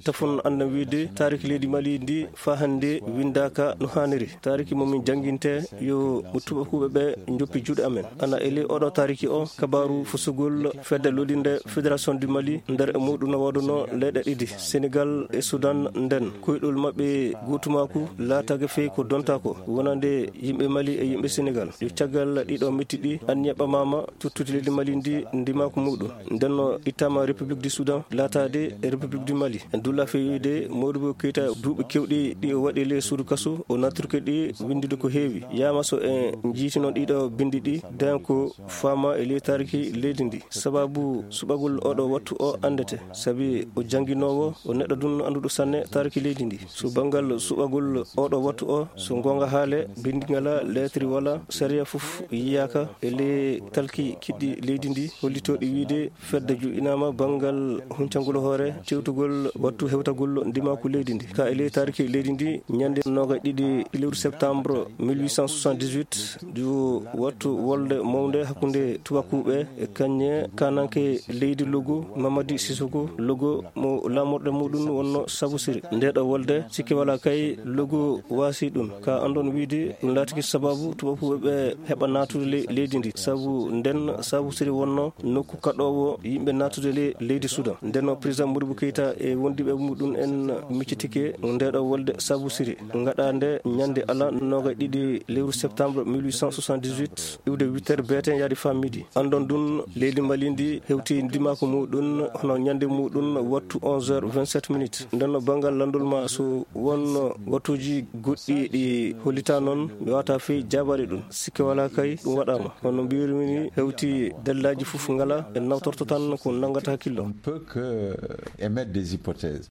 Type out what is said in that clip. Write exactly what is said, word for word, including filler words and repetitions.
Tafon anna wiide taariki leydi Mali ndi faa hannde winndaaka no haaniri. Taariki mo min jannginte yo mo tubakuuɓe ɓe njoppi juuɗe amen. Ana e ley oɗo taariki o, kabaaru fusugol fedde lolinde Fédération du Mali nder e muuɗum no waɗuno leyɗe ɗiɗi, Senegal e Sudan. Nden koyɗol maɓɓe gootumaaku laataake fey ko donta ko wonande yimɓe Mali e yimɓe Senegal. Yo caggal ɗiɗo metti ɗi, anniya ɓamaama tuttude leydi Mali ndi ndimaaku muuɗum. Nden no ittaama République du Soudan laataade e République du Mali. En dulla fewide Modibo Keita duuɓi kewɗi ɗi o waɗi ley suudu kasu, o nattirke ɗi winndude ko heewi. Yaama so en njiitino ɗiɗo binndi ɗi, den ko faama e ley taariki leydi ndi. Sababu suɓagol oɗo wattu o anndete, sabi o jannginoowo, o neɗɗo dun annduɗo sanne taariki leydi ndi. So banngal suɓagol oɗo wattu o, so ngoonga haale, binndi ngala, leetri wala, sariya fof yiyaaka e ley talki kiɗɗi leydi ndi, hollitooɗi wiide fedde juɗɗinaama banngal huncangol hoore, tewtugol wattu hewtagol ndimaaku leydi ndi. Ka e ley taariki leydi ndi, ñande noogay ɗiɗi lewru septembre mille huit cent soixante-dix-huit, du wattu wolde mawnde hakkunde tubakuuɓe e kañe kananke leydi Logo, Mamadi Sissoko Logo, mo laamorɗe muɗum wonno Sabu Siri. Nde ɗo wolde, sikke wala kay, Logo waasi ɗum. Ka andon wiide, ɗum laatiki sababu tubakuuɓe ɓe heɓa naatude le-, leydi ndi. Sabu nden Sabu Siri wonno nokku kaɗoowo yimɓe naatude le-, leydi Sudan. Nden o président Modibo Keita e wondiɓe muɗum en miccitike nde ɗo wolde Sabu Siri. Ngaɗa nde ñande ala noogay ɗiɗi lewru septembre mille huit cent soixante-dix-huit, iwde huit heures beeten yaade faa midi. Andon ɗum, leydi Mali ndi hewti ndimaaku muɗum hono ñande muɗum wattu onze heures vingt-sept minutes. Nden no banngal landol ma so won wattuuji goɗɗi ɗi hollita noon, mi wata fey jaabaade ɗum. Sikke wala kay ɗum waɗaama. Hono mbiyirmi ni, hewti dallaaji fof ngala, en nawtorto tan ko nanngata hakkillo. On peut que, euh, émettre des hypothèses.